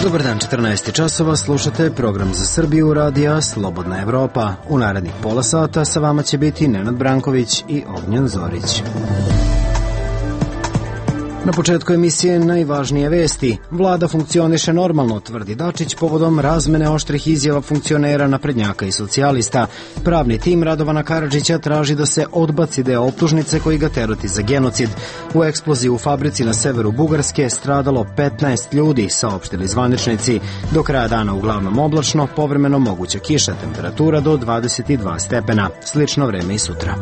Dobar dan, 14 časova, slušate program za Srbiju radija Slobodna Evropa. U narednih pola sata sa vama će biti Nenad Branković i Ognjen Zorić. Na početku emisije najvažnije vesti. Vlada funkcioniše normalno, tvrdi Dačić povodom razmene oštrih izjava funkcionera naprednjaka i socijalista. Pravni tim Radovana Karadžića traži da se odbaci deo optužnice koji ga tereti za genocid. U eksploziji u fabrici na severu Bugarske stradalo 15 ljudi, saopštili zvaničnici. Do kraja dana uglavnom oblačno, povremeno moguća kiša, temperatura do 22 stepena. Slično vreme i sutra.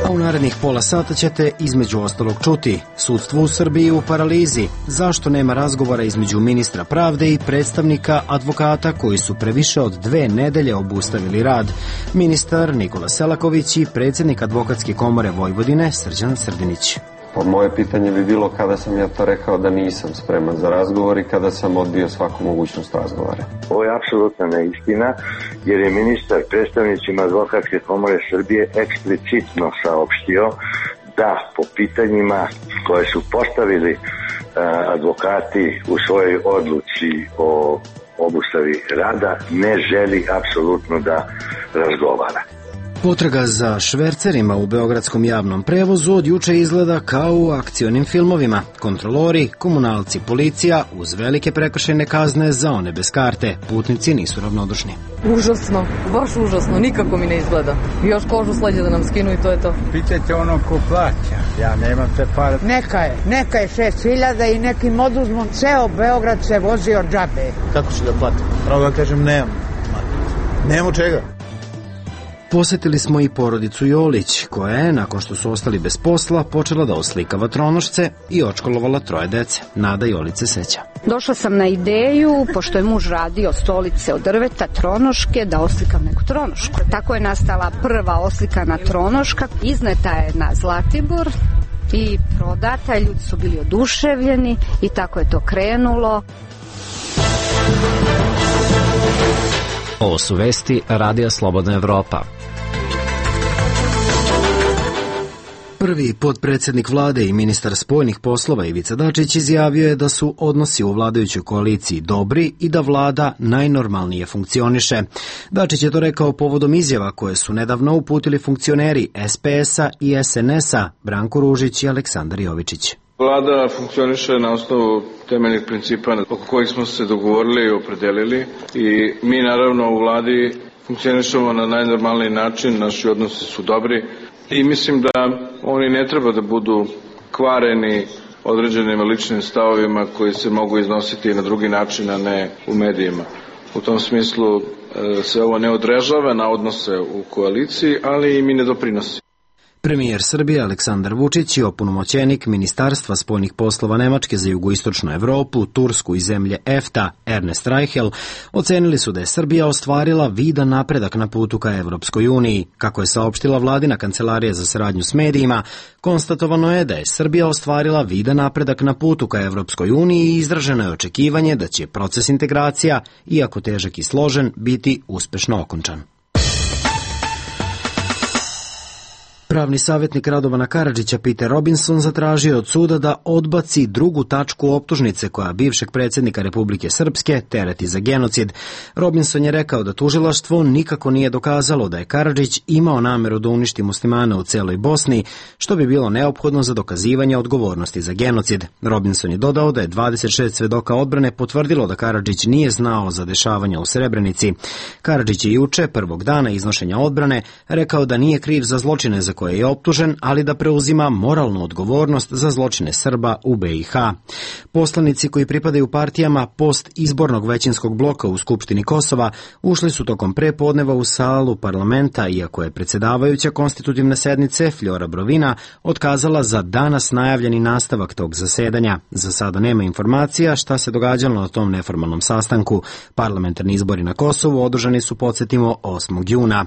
U narednih pola sata ćete između ostalog čuti: sudstvo u Srbiji u paralizi, zašto nema razgovora između ministra pravde i predstavnika advokata koji su pre više od 2 nedelje obustavili rad, ministar Nikola Selaković i predsjednik Advokatske komore Vojvodine Srđan Srdinić. Moje pitanje bi bilo kada sam ja to rekao da nisam spreman za razgovor i kada sam odbio svaku mogućnost razgovora. Ovo je apsolutna neistina, jer je ministar predstavnicima Advokatske komore Srbije eksplicitno saopštio da po pitanjima koje su postavili advokati u svojoj odluci o obustavi rada ne želi apsolutno da razgovara. Potraga za švercerima u beogradskom javnom prevozu od juče izgleda kao u akcionim filmovima. Kontrolori, komunalci, policija uz velike prekršajne kazne za one bez karte. Putnici nisu ravnodušni. Užasno, baš užasno, nikako mi ne izgleda. Još kožu sleđe da nam skinu i to je to. Pitajte ono ko plaća, ja nemam te pare. Neka je 6.000 i nekim oduzmom ceo Beograd se vozi od džabe. Kako ću da platim? Pravo da kažem nemamo čega. Posetili smo i porodicu Jolić, koja je, nakon što su ostali bez posla, počela da oslikava tronošce i odškolovala 3 dece. Nada Jolić se seća. Došla sam na ideju, pošto je muž radio stolice od drveta, tronoške, da oslikam neku tronošku. Tako je nastala prva oslikana tronoška. Izneta je na Zlatibor i prodata, ljudi su bili oduševljeni i tako je to krenulo. Ovo su vesti Radija Slobodna Evropa. Prvi potpredsjednik vlade i ministar spoljnih poslova Ivica Dačić izjavio je da su odnosi u vladajućoj koaliciji dobri i da vlada najnormalnije funkcioniše. Dačić je to rekao povodom izjava koje su nedavno uputili funkcioneri SPS-a i SNS-a Branko Ružić i Aleksandar Jovičić. Vlada funkcioniše na osnovu temeljnih principa oko kojih smo se dogovorili i opredelili i mi naravno u vladi funkcionišemo na najnormalniji način, naši odnosi su dobri i mislim da oni ne treba da budu kvareni određenim ličnim stavovima koji se mogu iznositi i na drugi način, a ne u medijima. U tom smislu se ovo ne održava na odnose u koaliciji, ali i mi ne doprinosi. Premijer Srbije Aleksandar Vučić i opunomoćenik Ministarstva spoljnih poslova Nemačke za jugoistočnu Evropu, Tursku i zemlje EFTA, Ernest Reichel, ocenili su da je Srbija ostvarila vidan napredak na putu ka Evropskoj uniji. Kako je saopštila vladina kancelarija za saradnju s medijima, konstatovano je da je Srbija ostvarila vidan napredak na putu ka Evropskoj uniji i izraženo je očekivanje da će proces integracija, iako težak i složen, biti uspešno okončan. Pravni savjetnik Radovana Karadžića Peter Robinson zatražio od suda da odbaci drugu tačku optužnice koja bivšeg predsjednika Republike Srpske tereti za genocid. Robinson je rekao da tužilaštvo nikako nije dokazalo da je Karadžić imao nameru da uništi muslimane u celoj Bosni, što bi bilo neophodno za dokazivanje odgovornosti za genocid. Robinson je dodao da je 26 svedoka odbrane potvrdilo da Karadžić nije znao za dešavanja u Srebrenici. Karadžić je juče, prvog dana iznošenja odbrane, rekao da nije kriv za zločine za koje je optužen, ali da preuzima moralnu odgovornost za zločine Srba u BiH. Poslanici koji pripadaju partijama post-izbornog većinskog bloka u Skupštini Kosova ušli su tokom prepodneva u salu parlamenta, iako je predsjedavajuća konstitutivne sednice Fljora Brovina otkazala za danas najavljeni nastavak tog zasedanja. Za sada nema informacija šta se događalo na tom neformalnom sastanku. Parlamentarni izbori na Kosovu održani su, podsjetimo, 8. juna.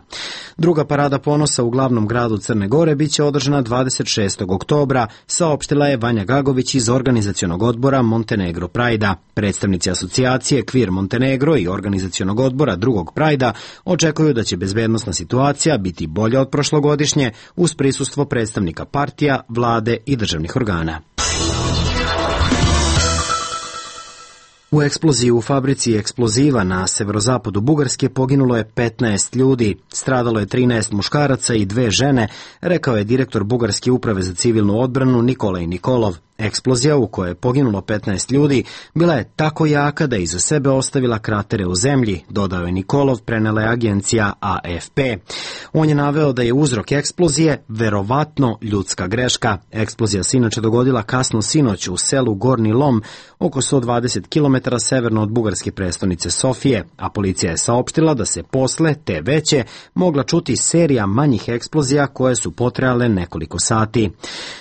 Druga parada ponosa u glavnom gradu Crne Gore biće održana 26. oktobra, saopštila je Vanja Gagović iz organizacionog odbora Montenegro Prajda. Predstavnici asocijacije Kvir Montenegro i organizacionog odbora drugog Prajda očekuju da će bezbednosna situacija biti bolja od prošlogodišnje uz prisustvo predstavnika partija, vlade i državnih organa. U eksploziji u fabrici eksploziva na severozapadu Bugarske poginulo je 15 ljudi, stradalo je 13 muškaraca i 2 žene, rekao je direktor Bugarske uprave za civilnu odbranu Nikolaj Nikolov. Eksplozija u kojoj je poginulo 15 ljudi bila je tako jaka da je iza sebe ostavila kratere u zemlji, dodao je Nikolov, prenela je agencija AFP. On je naveo da je uzrok eksplozije verovatno ljudska greška. Eksplozija se inače dogodila kasno sinoć u selu Gornji Lom, oko 120 km severno od bugarske prestonice Sofije, a policija je saopštila da se posle te veće mogla čuti serija manjih eksplozija koje su potrajale nekoliko sati.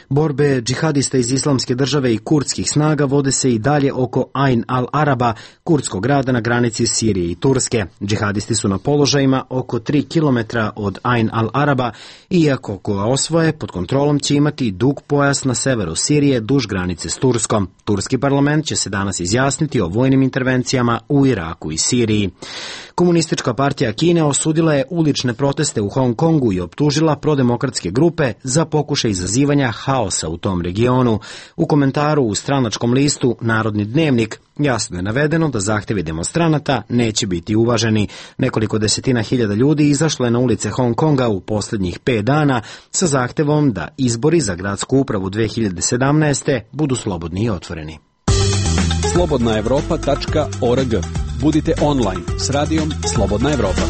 Borbe džihadista iz Islamske države i kurdskih snaga vode se i dalje oko Ain al-Araba, kurdskog grada na granici Sirije i Turske. Džihadisti su na položajima oko 3 km od Ain al-Araba, iako ko osvoje, pod kontrolom će imati dug pojas na severu Sirije duž granice s Turskom. Turski parlament će se danas izjasniti o vojnim intervencijama u Iraku i Siriji. Komunistička partija Kine osudila je ulične proteste u Hong Kongu i optužila prodemokratske grupe za pokušaj izazivanja haosa u tom regionu. U komentaru u stranačkom listu Narodni dnevnik jasno je navedeno da zahtevi demonstranata neće biti uvaženi. Nekoliko desetina hiljada ljudi izašlo je na ulice Hong Konga u posljednjih 5 dana sa zahtevom da izbori za gradsku upravu 2017. budu slobodni i otvoreni. Slobodnaevropa.org. Budite online s radijom Slobodna Evropa.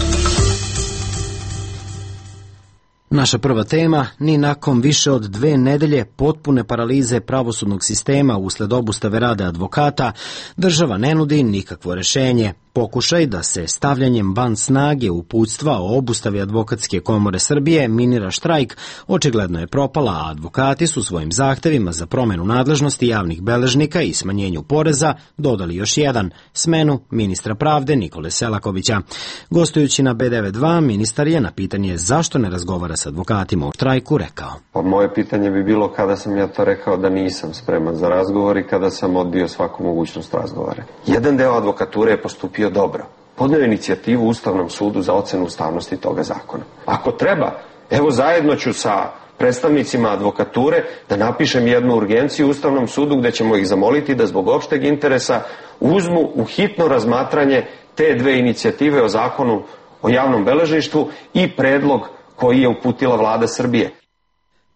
Naša prva tema, ni nakon više od 2 nedelje potpune paralize pravosudnog sistema usled obustave rada advokata, država ne nudi nikakvo rešenje. Pokušaj da se stavljanjem van snage uputstva o obustavi Advokatske komore Srbije minira štrajk očigledno je propala, a advokati su svojim zahtevima za promenu nadležnosti javnih beležnika i smanjenju poreza dodali još jedan, smenu ministra pravde Nikole Selakovića. Gostujući na B92, ministar je na pitanje zašto ne razgovara s advokatima o štrajku rekao. Pa moje pitanje bi bilo kada sam ja to rekao da nisam spreman za razgovor i kada sam odbio svaku mogućnost razgovora. Jedan deo advokature je postupio dobro. Podneo inicijativu Ustavnom sudu za ocenu ustavnosti toga zakona. Ako treba, evo zajedno ću sa predstavnicima advokature da napišem jednu urgenciju Ustavnom sudu gde ćemo ih zamoliti da zbog opšteg interesa uzmu u hitno razmatranje te 2 inicijative o zakonu o javnom beležništvu i predlog koji je uputila vlada Srbije.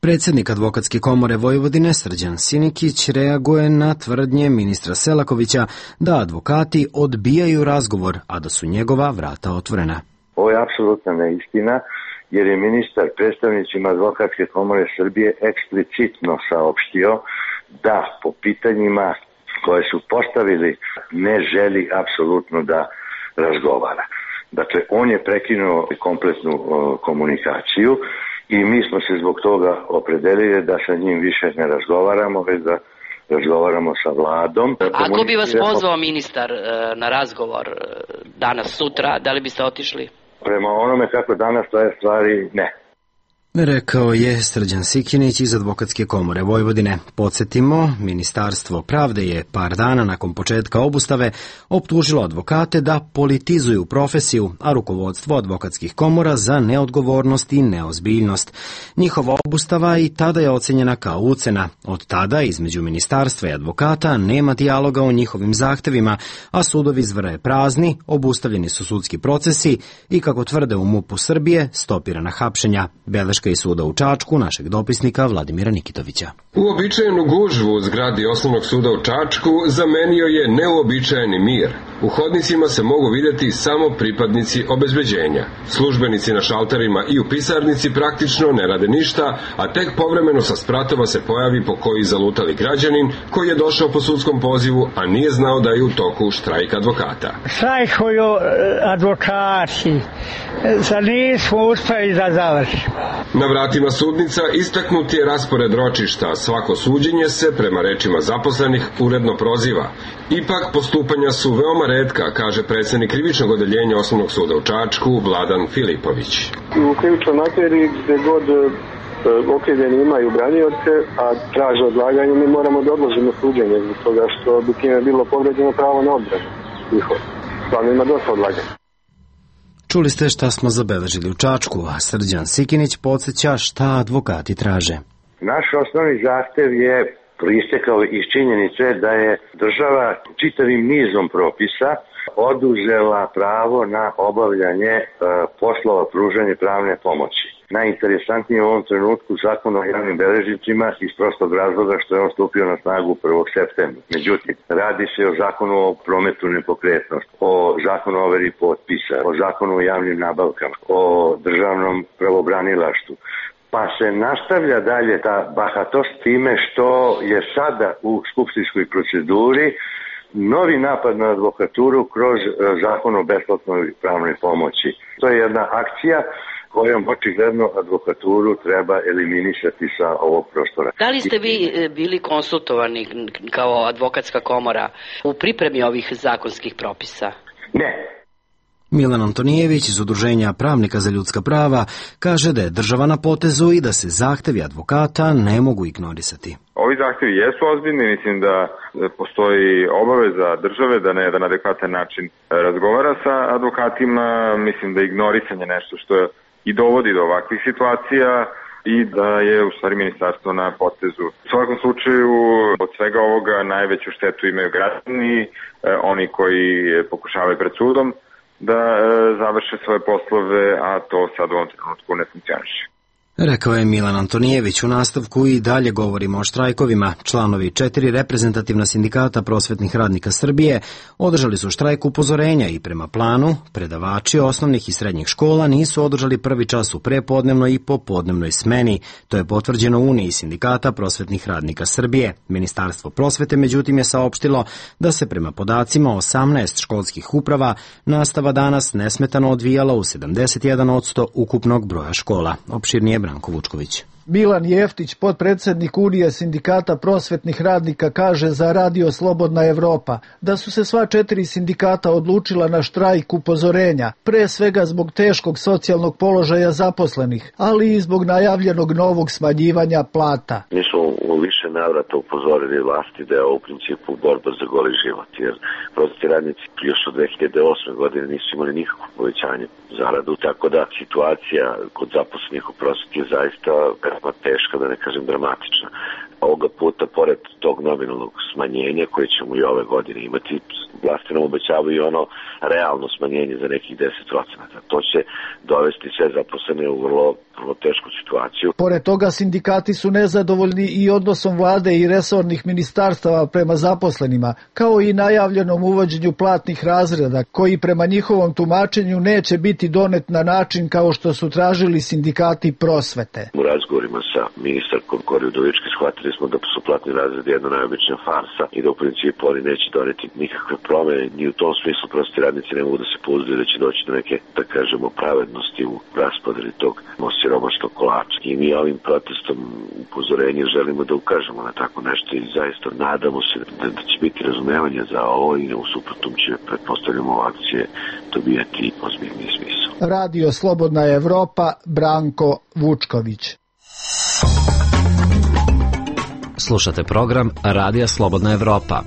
Predsjednik Advokatske komore Vojvodine Srđan Sinikić reaguje na tvrdnje ministra Selakovića da advokati odbijaju razgovor, a da su njegova vrata otvorena. Ovo je apsolutna neistina, jer je ministar predstavnicima Advokatske komore Srbije eksplicitno saopštio da po pitanjima koje su postavili ne želi apsolutno da razgovara. Dakle, on je prekinuo kompletnu komunikaciju i mi smo se zbog toga opredelili da sa njim više ne razgovaramo, već da razgovaramo sa vladom. Ako bi vas pozvao ministar na razgovor danas, sutra, da li biste otišli? Prema onome kako danas stoje stvari, ne. Rekao je Srđan Sikinić iz Advokatske komore Vojvodine. Podsjetimo, Ministarstvo pravde je par dana nakon početka obustave optužilo advokate da politizuju profesiju, a rukovodstvo advokatskih komora za neodgovornost i neozbiljnost. Njihova obustava i tada je ocenjena kao ucena. Od tada između ministarstva i advokata nema dijaloga o njihovim zahtevima, a sudovi zvrje prazni, obustavljeni su sudski procesi i, kako tvrde u MUP-u Srbije, stopirana hapšenja. Beleška iz suda u Čačku, našeg dopisnika Vladimira Nikitovića. Uobičajenu gužvu u zgradi Osnovnog suda u Čačku zamenio je neuobičajeni mir. U hodnicima se mogu vidjeti samo pripadnici obezbeđenja. Službenici na šalterima i u pisarnici praktično ne rade ništa, a tek povremeno sa spratova se pojavi po koji zalutali građanin koji je došao po sudskom pozivu, a nije znao da je u toku štrajk advokata. Štrajkuju advokati, za nismo uspeli da završimo. Na vratima sudnica istaknuti je raspored ročišta, svako suđenje se, prema rečima zaposlenih, uredno proziva. Ipak postupanja su veoma retka, kaže predsjednik krivičnog odeljenja Osnovnog suda u Čačku, Vladan Filipović. U krivičnoj materiji gde god okrivljeni imaju branioce, a traže odlaganje, mi moramo da odložimo suđenje zbog toga što bi time bilo povređeno pravo na odbranu. Stvarno ima dosta odlaganja. Čuli ste šta smo zabeležili u Čačku, a Srđan Sikinić podsjeća šta advokati traže. Naš osnovni zahtev je proistekao iz činjenice da je država čitavim nizom propisa oduzela pravo na obavljanje poslova pružanja pravne pomoći. Najinteresantnije u ovom trenutku zakon o javnim beležnicima iz prostog razloga što je on stupio na snagu 1. septembra. Međutim, radi se o zakonu o prometu nepokretnosti, o zakonu o overi potpisa, o zakonu o javnim nabavkama, o državnom pravobranilaštvu. Pa se nastavlja dalje ta bahatost time što je sada u skupštinskoj proceduri novi napad na advokaturu kroz zakon o besplatnoj pravnoj pomoći. To je jedna akcija kojom očigledno advokaturu treba eliminisati sa ovog prostora. Da li ste vi bili konsultovani kao advokatska komora u pripremi ovih zakonskih propisa? Ne. Milan Antonijević iz Udruženja pravnika za ljudska prava kaže da je država na potezu i da se zahtevi advokata ne mogu ignorisati. Ovi zahtevi jesu ozbiljni, mislim da postoji obaveza države da na jedan adekvatan način razgovara sa advokatima, mislim da je ignorisanje nešto što i dovodi do ovakvih situacija i da je u stvari ministarstvo na potezu. U svakom slučaju od svega ovoga najveću štetu imaju građani, oni koji pokušavaju pred sudom da završe svoje poslove, a to sad u ovom trenutku ne funkcioniše. Rekao je Milan Antonijević. U nastavku i dalje govorimo o štrajkovima. Članovi 4 reprezentativna sindikata prosvetnih radnika Srbije održali su štrajk upozorenja i prema planu predavači osnovnih i srednjih škola nisu održali prvi čas u prepodnevnoj i popodnevnoj smeni. To je potvrđeno u Uniji sindikata prosvetnih radnika Srbije. Ministarstvo prosvete međutim je saopštilo da se prema podacima 18 školskih uprava nastava danas nesmetano odvijala u 71% ukupnog broja škola. Opširnije Branko Vučković. Milan Jeftić, potpredsednik Unije sindikata prosvetnih radnika, kaže za Radio Slobodna Evropa da su se sva 4 sindikata odlučila na štrajk upozorenja, pre svega zbog teškog socijalnog položaja zaposlenih, ali i zbog najavljenog novog smanjivanja plata. Mi smo u više navrata upozorili vlasti da je ovo u principu borba za goli život, jer prosvetni radnici još od 2008. godine nisu imali nikakvo povećanje zaradu, tako da situacija kod zaposlenih u prosveti je zaista teška, da ne kažem dramatična. Ovoga puta, pored tog nominalnog smanjenja koje ćemo i ove godine imati, vlasti nam obećavaju i ono realno smanjenje za nekih 10%. To će dovesti sve zaposlene u vrlo tešku situaciju. Pored toga, sindikati su nezadovoljni i odnosom vlade i resornih ministarstava prema zaposlenima, kao i najavljenom uvođenju platnih razreda, koji prema njihovom tumačenju neće biti donet na način kao što su tražili sindikati prosvete. U razgovorima sa ministarkom Kori Udovički shvatili smo da su platni razredi jedna najobičnija farsa i da u principu oni neće doneti nikakve promene, ni u tom smislu prosvetni radnici ne mogu da se pouzdaju da će doći do neke, da kažemo, pravednosti u raspodeli tog siromašnog kolača. I mi ovim protestom upozorenja želimo da ukažemo na tako nešto i zaista nadamo se da će biti razumevanje za ovo i u suprotnom će, pretpostavljamo, akcije dobijati ozbiljni smisao. Radio Slobodna Evropa, Branko Vučković. Slušate program Radija Slobodna Evropa.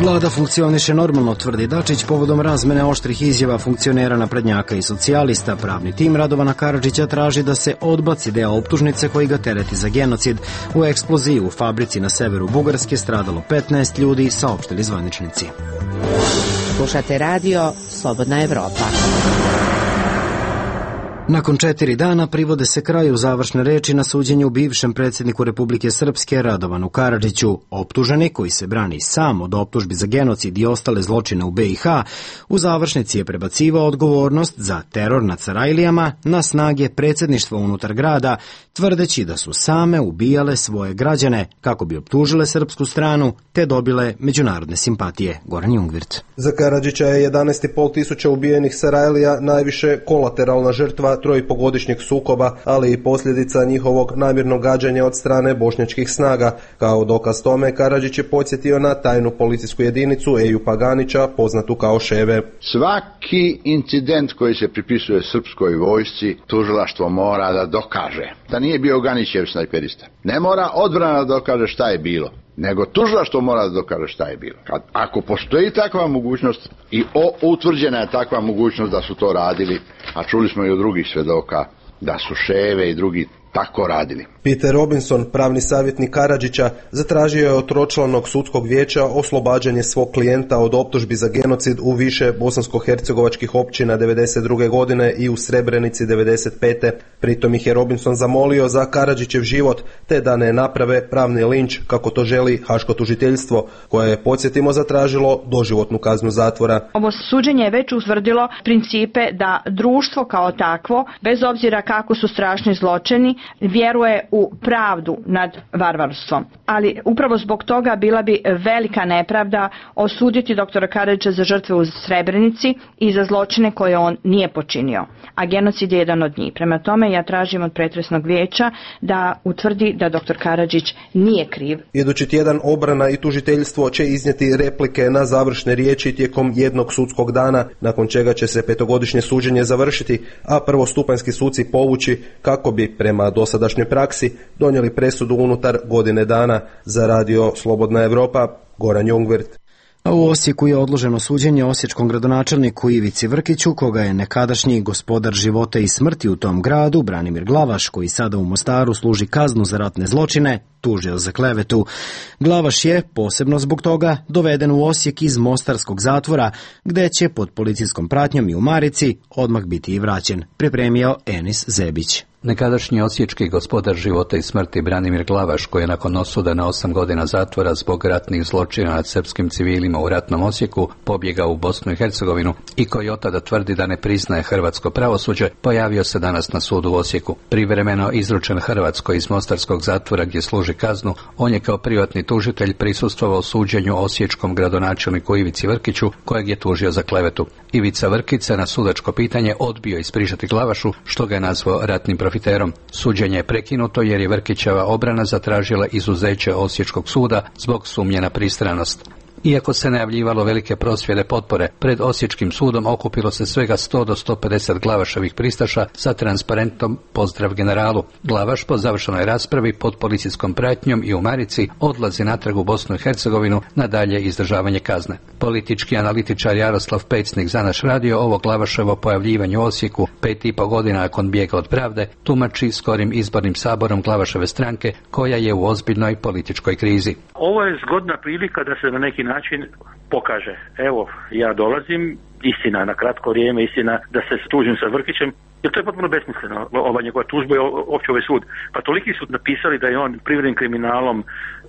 Vlada funkcioniše normalno, tvrdi Dačić, povodom razmene oštrih izjava funkcionera naprednjaka i socijalista. Pravni tim Radovana Karadžića traži da se odbaci deo optužnice koji ga tereti za genocid. U eksploziji u fabrici na severu Bugarske stradalo 15 ljudi, saopštili zvaničnici. Slušate radio Slobodna Evropa. Nakon 4 dana privode se kraju završne reči na suđenju bivšem predsjedniku Republike Srpske Radovanu Karadžiću. Optuženi, koji se brani sam od optužbi za genocid i ostale zločine u BiH, u završnici je prebacivao odgovornost za teror nad Sarajlijama na snage predsjedništva unutar grada, tvrdeći da su same ubijale svoje građane kako bi optužile srpsku stranu te dobile međunarodne simpatije. Goran Jungvirt. Za Karadžića je 11,5 tisuća ubijenih Sarajlija najviše kolateralna žrtva trojpogodišnjeg sukoba, ali i posljedica njihovog namjernog gađanja od strane bošnjačkih snaga. Kao dokaz tome, Karadžić je podsjetio na tajnu policijsku jedinicu Eju Paganića, poznatu kao Ševe. Svaki incident koji se pripisuje srpskoj vojsci, tužilaštvo mora da dokaže da nije bio Ganićev snajperista. Ne mora odbrana da dokaže šta je bilo, nego tužilaštvo mora da dokaže šta je bilo. Ako postoji takva mogućnost i utvrđena je takva mogućnost da su to radili, a čuli smo i od drugih svedoka da su Ševe i drugi tako radili. Peter Robinson, pravni savjetnik Karadžića, zatražio je od tročlanog sudskog vijeća oslobađanje svog klijenta od optužbi za genocid u više bosansko-hercegovačkih općina 1992. godine i u Srebrenici 1995. Pritom ih je Robinson zamolio za Karadžićev život, te da ne naprave pravni linč kako to želi haško tužiteljstvo, koje je, podsjetimo, zatražilo doživotnu kaznu zatvora. Ovo suđenje je već utvrdilo principe da društvo kao takvo, bez obzira kako su strašni zločini, vjeruje u pravdu nad varvarstvom. Ali upravo zbog toga bila bi velika nepravda osuditi doktora Karadžića za žrtve u Srebrenici i za zločine koje on nije počinio. A genocid je jedan od njih. Prema tome ja tražim od pretresnog vijeća da utvrdi da doktor Karadžić nije kriv. Idući tjedan obrana i tužiteljstvo će iznijeti replike na završne riječi tijekom jednog sudskog dana, nakon čega će se petogodišnje suđenje završiti, a prvostupanjski suci povući kako bi prema dosadašnjoj praksi donijeli presudu unutar godine dana. Za radio Slobodna Evropa, Goran Jungwirth. A u Osijeku je odloženo suđenje osječkom gradonačelniku Ivici Vrkiću, koga je nekadašnji gospodar života i smrti u tom gradu, Branimir Glavaš, koji sada u Mostaru služi kaznu za ratne zločine, tužio za klevetu. Glavaš je, posebno zbog toga, doveden u Osijek iz mostarskog zatvora, gde će pod policijskom pratnjom i u marici odmah biti i vraćen, pripremio Enis Zebić. Nekadašnji osječki gospodar života i smrti Branimir Glavaš, koji je nakon osude na 8 godina zatvora zbog ratnih zločina nad srpskim civilima u ratnom Osijeku pobjegao u Bosnu i Hercegovinu i koji od tada tvrdi da ne priznaje hrvatsko pravosuđe, pojavio se danas na sudu u Osijeku. Privremeno izručen Hrvatskoj iz mostarskog zatvora gdje služi kaznu, on je kao privatni tužitelj prisustvovao suđenju osječkom gradonačelniku Ivici Vrkiću, kojeg je tužio za klevetu. Ivica Vrkić se na sudačko pitanje odbio ispričati Glavašu, što ga je nazvao ratnim profiterom. Suđenje je prekinuto jer je Vrkićeva obrana zatražila izuzeće Osječkog suda zbog sumnje na pristranost. Iako se najavljivalo velike prosvjede potpore, pred Osječkim sudom okupilo se svega 100 do 150 Glavaševih pristaša sa transparentom "Pozdrav generalu". Glavaš po završenoj raspravi pod policijskom pratnjom i u marici odlazi natrag u Bosnu i Hercegovinu na dalje izdržavanje kazne. Politički analitičar Jaroslav Pecnik za naš radio ovo Glavaševo pojavljivanje u Osijeku 5,5 godina nakon bijega od pravde tumači skorim izbornim saborom Glavaševe stranke, koja je u ozbiljnoj političkoj krizi. Ovo je zgodna prilika da se na neki način pokaže. Evo, ja dolazim, istina na kratko vrijeme, istina da se tužim sa Vrkićem, jer to je potpuno besmisleno, ova njegova tužba je opće ovaj sud. Pa toliki su napisali da je on privrednim kriminalom,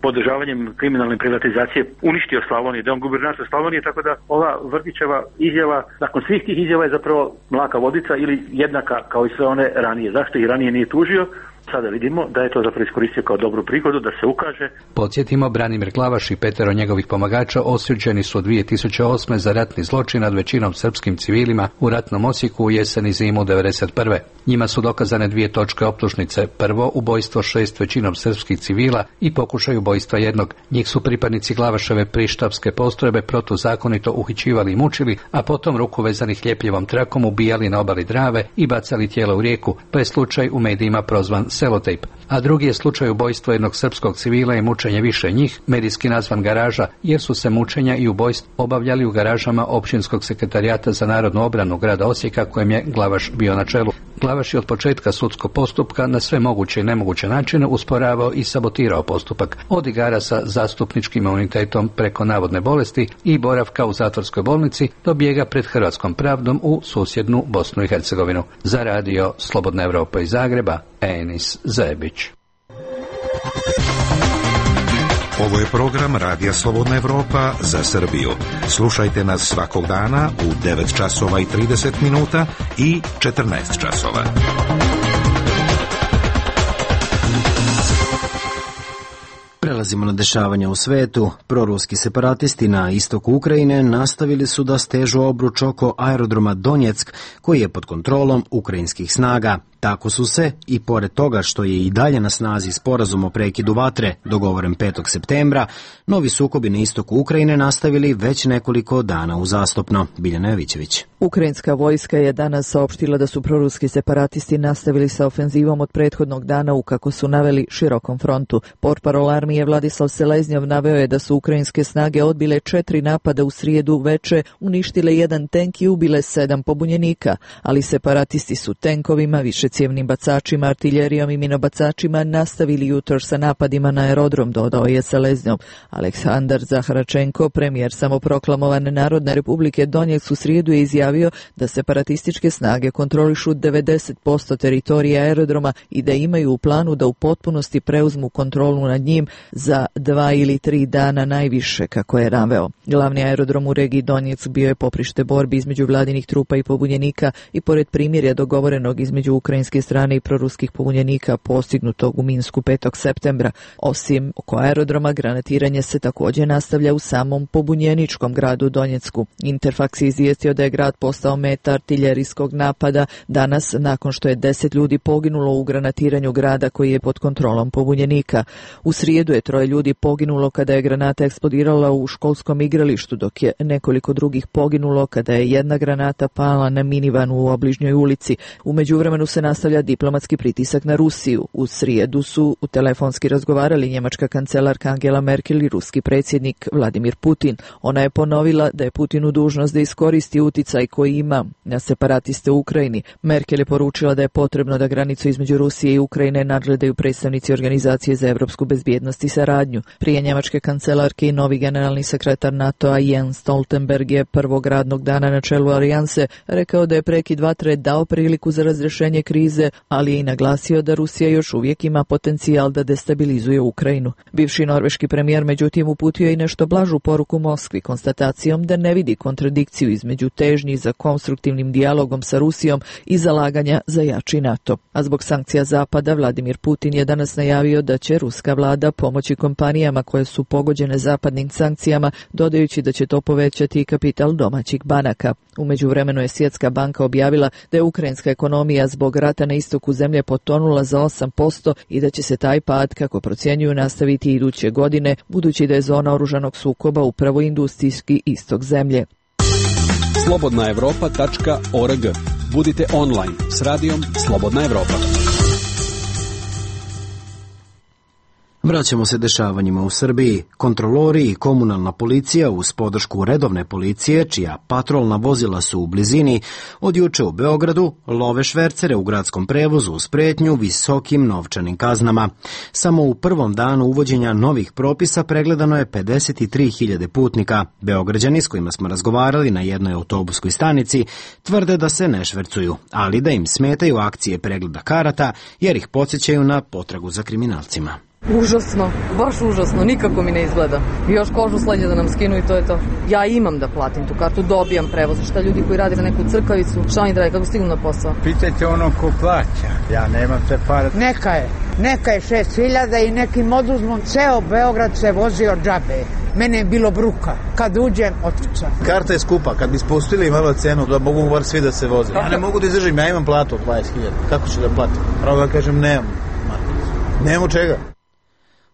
podržavanjem kriminalne privatizacije uništio Slavoniju, da je on gubernator Slavonije, tako da ova Vrkićeva izjava, nakon svih tih izjava je zapravo mlaka vodica ili jednaka kao i sve one ranije. Zašto ih ranije nije tužio? Sada vidimo da je to zapravo iskoristio kao dobru prigodu da se ukaže. Podsjetimo, Branimir Glavaš i 5 njegovih pomagača osuđeni su 2008. za ratni zločin nad većinom srpskim civilima u ratnom Osijeku u jesen i zimu 1991. Njima su dokazane 2 točke optužnice. Prvo, ubojstvo 6 većinom srpskih civila i pokušaj ubojstva 1. Njih su pripadnici Glavaševe prištapske postrojbe protuzakonito uhićivali i mučili, a potom ruku vezanih ljepljivom trakom ubijali na obali Drave i bacali tijela u rijeku, pa je slučaj u medijima prozvan Selotejp. A drugi je slučaj ubojstva jednog srpskog civila i mučenje više njih, medijski nazvan Garaža, jer su se mučenja i ubojstva obavljali u garažama Općinskog sekretarijata za narodnu obranu grada Osijeka, kojem je Glavaš bio na čelu. Glavaš je od početka sudskog postupka na sve moguće i nemoguće načine usporavao i sabotirao postupak, od igara sa zastupničkim imunitetom preko navodne bolesti i boravka u zatvorskoj bolnici do bijega pred hrvatskom pravdom u susjednu Bosnu i Hercegovinu. Za radio Slobodna Evropa iz Zagreba, Enis Zebić. Ovo je program Radija Slobodna Evropa za Srbiju. Slušajte nas svakog dana u 9 časova i 30 minuta i 14 časova. Prelazimo na dešavanja u svetu. Proruski separatisti na istoku Ukrajine nastavili su da stežu obruč oko aerodroma Donjeck, koji je pod kontrolom ukrajinskih snaga. Tako su se, i pored toga što je i dalje na snazi sporazum o prekidu vatre, dogovoren 5. septembra, novi sukobi na istoku Ukrajine nastavili već nekoliko dana uzastopno. Biljana Jovićević. Ukrajinska vojska je danas saopštila da su proruski separatisti nastavili sa ofenzivom od prethodnog dana u, kako su naveli, širokom frontu. Portparol armije Vladislav Seleznjov naveo je da su ukrajinske snage odbile 4 napada u srijedu veče, uništile 1 tenk i ubile 7 pobunjenika, ali separatisti su tenkovima, više višecijevnim bacačima, artiljerijom i minobacačima nastavili jutros sa napadima na aerodrom, dodao je Seleznjov. Aleksandar Zaharačenko, premijer samoproklamovane Narodne republike Donjeck, u srijedu je izjavio da separatističke snage kontrolišu 90% teritorija aerodroma i da imaju u planu da u potpunosti preuzmu kontrolu nad njim za 2 ili 3 dana najviše, kako je naveo. Glavni aerodrom u regiji Donjeck bio je poprište borbi između vladinih trupa i pobunjenika i pored primirja dogovorenog između ukrajinske strane i proruskih pobunjenika postignutog u Minsku 5. septembra. Osim oko aerodroma, granatiranje se također nastavlja u samom pobunjeničkom gradu Donjecku. Interfaks je izvijestio da je grad postao meta artiljerijskog napada danas nakon što je 10 ljudi poginulo u granatiranju grada koji je pod kontrolom pobunjenika. U srijedu je 3 ljudi poginulo kada je granata eksplodirala u školskom igralištu, dok je nekoliko drugih poginulo kada je jedna granata pala na minivanu u obližnjoj ulici. U međuvremenu se nastavlja diplomatski pritisak na Rusiju. U srijedu su telefonski razgovarali njemačka kancelarka Angela Merkel i ruski predsjednik Vladimir Putin. Ona je ponovila da je Putinu dužnost da iskoristi uticaj koji ima na separatiste u Ukrajini. Merkel je poručila da je potrebno da granicu između Rusije i Ukrajine nadgledaju predstavnici Organizacije za evropsku bezbjednost i saradnju. Prije njemačke kancelarke i novi generalni sekretar NATO-a Jens Stoltenberg je prvog radnog dana na čelu alijanse rekao da je prekid vatre dao priliku za razrješenje krize, ali je i naglasio da Rusija još uvijek ima potencijal da destabilizuje Ukrajinu. Bivši norveški premijer međutim uputio je i nešto blažu poruku Moskvi konstatacijom da ne vidi kontradikciju između težnji za konstruktivnim dijalogom sa Rusijom i zalaganja za jači NATO. A zbog sankcija Zapada, Vladimir Putin je danas najavio da će ruska vlada pomoći kompanijama koje su pogođene zapadnim sankcijama, dodajući da će to povećati i kapital domaćih banaka. U međuvremenu je Svjetska banka objavila da je ukrajinska ekonomija zbog rata na istoku zemlje potonula za 8% i da će se taj pad, kako procjenjuju, nastaviti iduće godine, budući da je zona oružanog sukoba upravo industrijski istok zemlje. slobodnaevropa.org. Budite online s radijom Slobodna Evropa. Vraćamo se dešavanjima u Srbiji. Kontrolori i komunalna policija uz podršku redovne policije, čija patrolna vozila su u blizini, od juče u Beogradu love švercere u gradskom prevozu uz pretnju visokim novčanim kaznama. Samo u prvom danu uvođenja novih propisa pregledano je 53.000 putnika. Beograđani s kojima smo razgovarali na jednoj autobuskoj stanici tvrde da se ne švercuju, ali da im smetaju akcije pregleda karata jer ih podsjećaju na potragu za kriminalcima. Užasno, baš užasno, nikako mi ne izgleda. Još kožu s leđa da nam skinu i to je to. Ja imam da platim tu kartu, dobijam prevoz. Šta ljudi koji rade za neku crkavicu, šta oni dragi, kako stignu na posao? Pitajte ono ko plaća, ja nemam te pare. Neka je 6.000 i nekim oduzmom, ceo Beograd se vozio džabe. Mene je bilo bruka. Kad uđem, otkucam. Karta je skupa, kad bi spustili malo cenu, da mogu bar svi da se voze. Ja ne mogu da izdržim, ja imam platu od 20.000. Kako ću da platim? Pravo da kažem, nemam čega.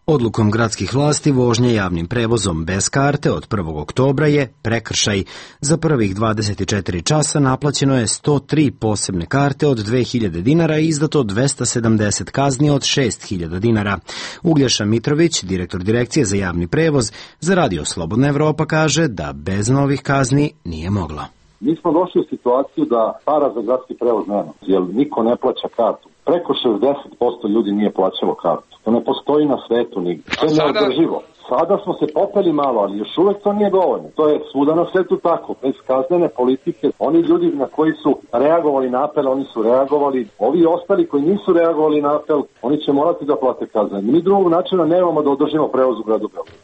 Odlukom gradskih vlasti vožnje javnim prevozom bez karte od 1. oktobra je prekršaj. Za prvih 24 časa naplaćeno je 103 posebne karte od 2.000 dinara i izdato 270 kazni od 6.000 dinara. Uglješa Mitrović, direktor Direkcije za javni prevoz, za Radio Slobodna Evropa kaže da bez novih kazni nije moglo. Mi smo došli u situaciju da para za gradski prevoz nema, jer niko ne plaća kartu. Preko 60% ljudi nije plaćalo kartu. To ne postoji na svetu nigdje. To je neodrživo. Sada smo se popeli malo, ali još uvek to nije dovoljno. To je svuda na svetu tako. Bez kaznene politike, oni ljudi na koji su reagovali na apel, oni su reagovali. Ovi ostali koji nisu reagovali na apel, oni će morati da plate kazne. Mi drugog načina nemamo da održimo prevoz u gradu Beogradu.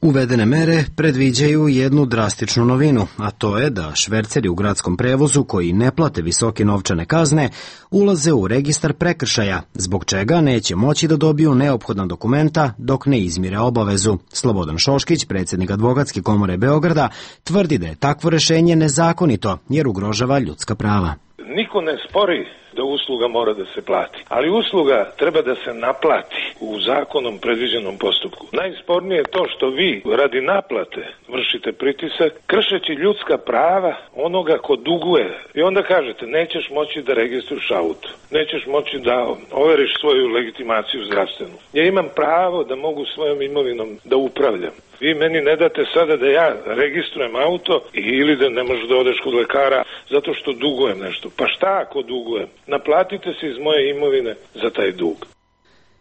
Uvedene mere predviđaju jednu drastičnu novinu, a to je da šverceri u gradskom prevozu koji ne plate visoke novčane kazne ulaze u registar prekršaja, zbog čega neće moći da dobiju neophodna dokumenta dok ne izmire obavezu. Slobodan Šoškić, predsjednik Advokatske komore Beograda, tvrdi da je takvo rešenje nezakonito jer ugrožava ljudska prava. Niko ne spori da usluga mora da se plati, ali usluga treba da se naplati u zakonom predviđenom postupku. Najspornije je to što vi radi naplate vršite pritisak, kršeći ljudska prava onoga ko duguje. I onda kažete nećeš moći da registruješ auto, nećeš moći da overiš svoju legitimaciju zdravstvenu. Ja imam pravo da mogu svojom imovinom da upravljam. Vi meni ne date sada da ja registrujem auto ili da ne možeš da odeš kod lekara zato što dugujem nešto. Pa šta ako dugujem? Naplatite se iz moje imovine za taj dug.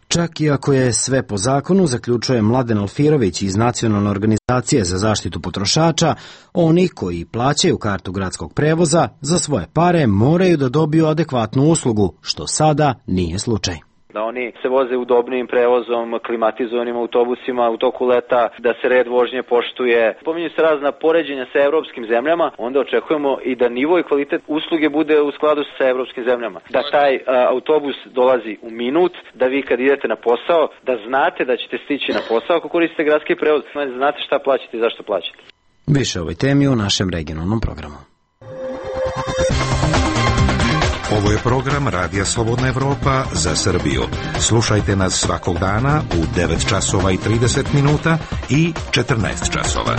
Čak i ako je sve po zakonu, zaključuje Mladen Alfirović iz Nacionalne organizacije za zaštitu potrošača, oni koji plaćaju kartu gradskog prevoza za svoje pare moraju da dobiju adekvatnu uslugu, što sada nije slučaj. Da oni se voze udobnijim prevozom, klimatizovanim autobusima u toku leta, da se red vožnje poštuje. Pominju se razna poređenja sa evropskim zemljama, onda očekujemo i da nivo i kvalitet usluge bude u skladu sa evropskim zemljama. Da taj autobus dolazi u minut, da vi kad idete na posao, da znate da ćete stići na posao ako koristite gradski prevoz, znate šta plaćate i zašto plaćate. Više o ovoj temi u našem regionalnom programu. Ovo je program Radija Slobodna Evropa za Srbiju. Slušajte nas svakog dana u 9 časova i 30 minuta i 14 časova.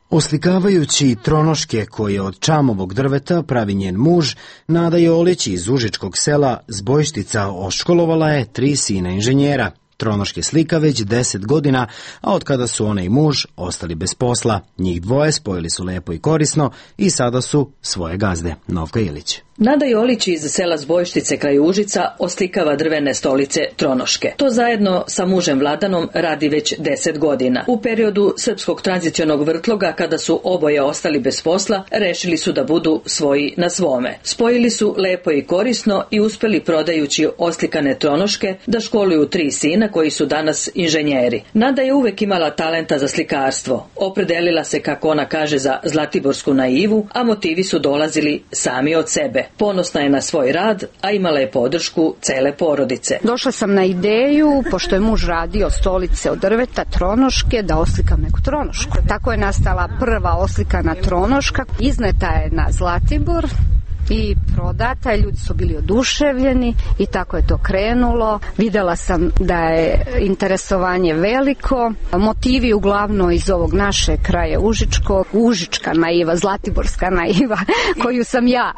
Oslikavajući tronoške koje od čamovog drveta pravi njen muž, Nada Jolić iz užičkog sela Zbojštica oškolovala je 3 sina inženjera. Tronoške slika već 10 godina, a od kada su ona i muž ostali bez posla. Njih dvoje spojili su lepo i korisno i sada su svoje gazde. Novka Ilić. Nada Jolić iz sela Zbojštice kraj Užica oslikava drvene stolice tronoške. To zajedno sa mužem Vladanom radi već 10 godina. U periodu srpskog tranzicionog vrtloga, kada su oboje ostali bez posla, rešili su da budu svoji na svome. Spojili su lepo i korisno i uspeli, prodajući oslikane tronoške, da školuju 3 sina koji su danas inženjeri. Nada je uvek imala talenta za slikarstvo. Opredelila se, kako ona kaže, za zlatiborsku naivu, a motivi su dolazili sami od sebe. Ponosna je na svoj rad, a imala je podršku cele porodice. Došla sam na ideju, pošto je muž radio stolice od drveta, tronoške, da oslikam neku tronošku. Tako je nastala prva oslikana tronoška. Izneta je na Zlatibor i prodata, ljudi su bili oduševljeni i tako je to krenulo. Videla sam da je interesovanje veliko, motivi uglavnom iz ovog naše kraja Užičkog, Užička naiva, Zlatiborska naiva, koju sam ja,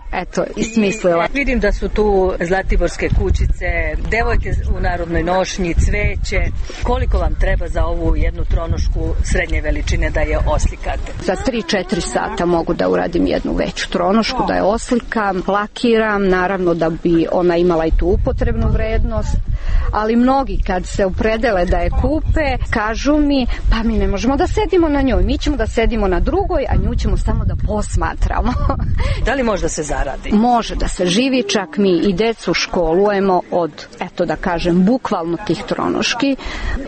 ismislila. Vidim da su tu zlatiborske kućice, devojke u narodnoj nošnji, cveće. Koliko vam treba za ovu jednu tronošku srednje veličine da je oslikate? Za 3-4 sata mogu da uradim jednu veću tronošku, da je oslikam, lakiram, naravno da bi ona imala i tu upotrebnu vrednost, ali mnogi kad se opredele da je kupe, kažu mi, pa mi ne možemo da sedimo na njoj, mi ćemo da sedimo na drugoj, a nju ćemo samo da posmatramo. Da li može da se zaradi? Može da se živi, čak mi i decu školujemo od, da kažem, bukvalno tih tronoški.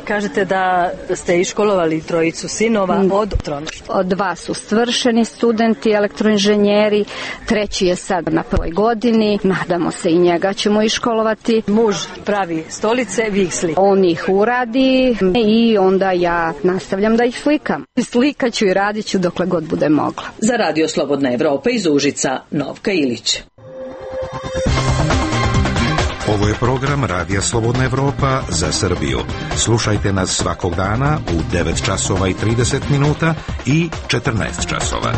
Kažete da ste iškolovali 3 sinova od tronoški. 2 su svršeni studenti, elektroinženjeri, 3 je sad na 1. godini, nadamo se i njega ćemo iškolovati. Muž pravi stolice, vi ih slikate. On ih uradi i onda ja nastavljam da ih slikam. Slikaću i radit ću dokle god bude mogla. Za Radio Slobodna Evropa iz Užica, Novka Ilić. Ovo je program Radija Slobodna Evropa za Srbiju. Slušajte nas svakog dana u 9 časova i 30 minuta i 14 časova.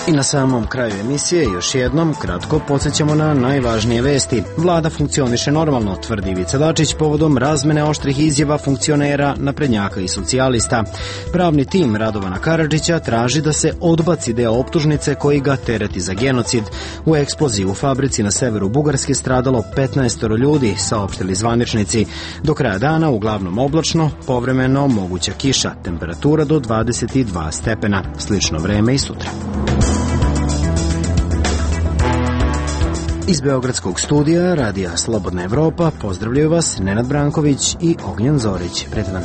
I na samom kraju emisije još jednom kratko podsjećamo na najvažnije vesti. Vlada funkcioniše normalno, tvrdi Ivica Dačić povodom razmene oštrih izjava funkcionera, naprednjaka i socijalista. Pravni tim Radovana Karadžića traži da se odbaci deo optužnice koji ga tereti za genocid. U eksploziji u fabrici na severu Bugarske stradalo 15 ljudi, saopštili zvaničnici. Do kraja dana uglavnom oblačno, povremeno moguća kiša, temperatura do 22 stepena. Slično vreme i sutra. Iz Beogradskog studija Radija Slobodna Evropa pozdravljaju vas Nenad Branković i Ognjen Zorić. Prijatan dan.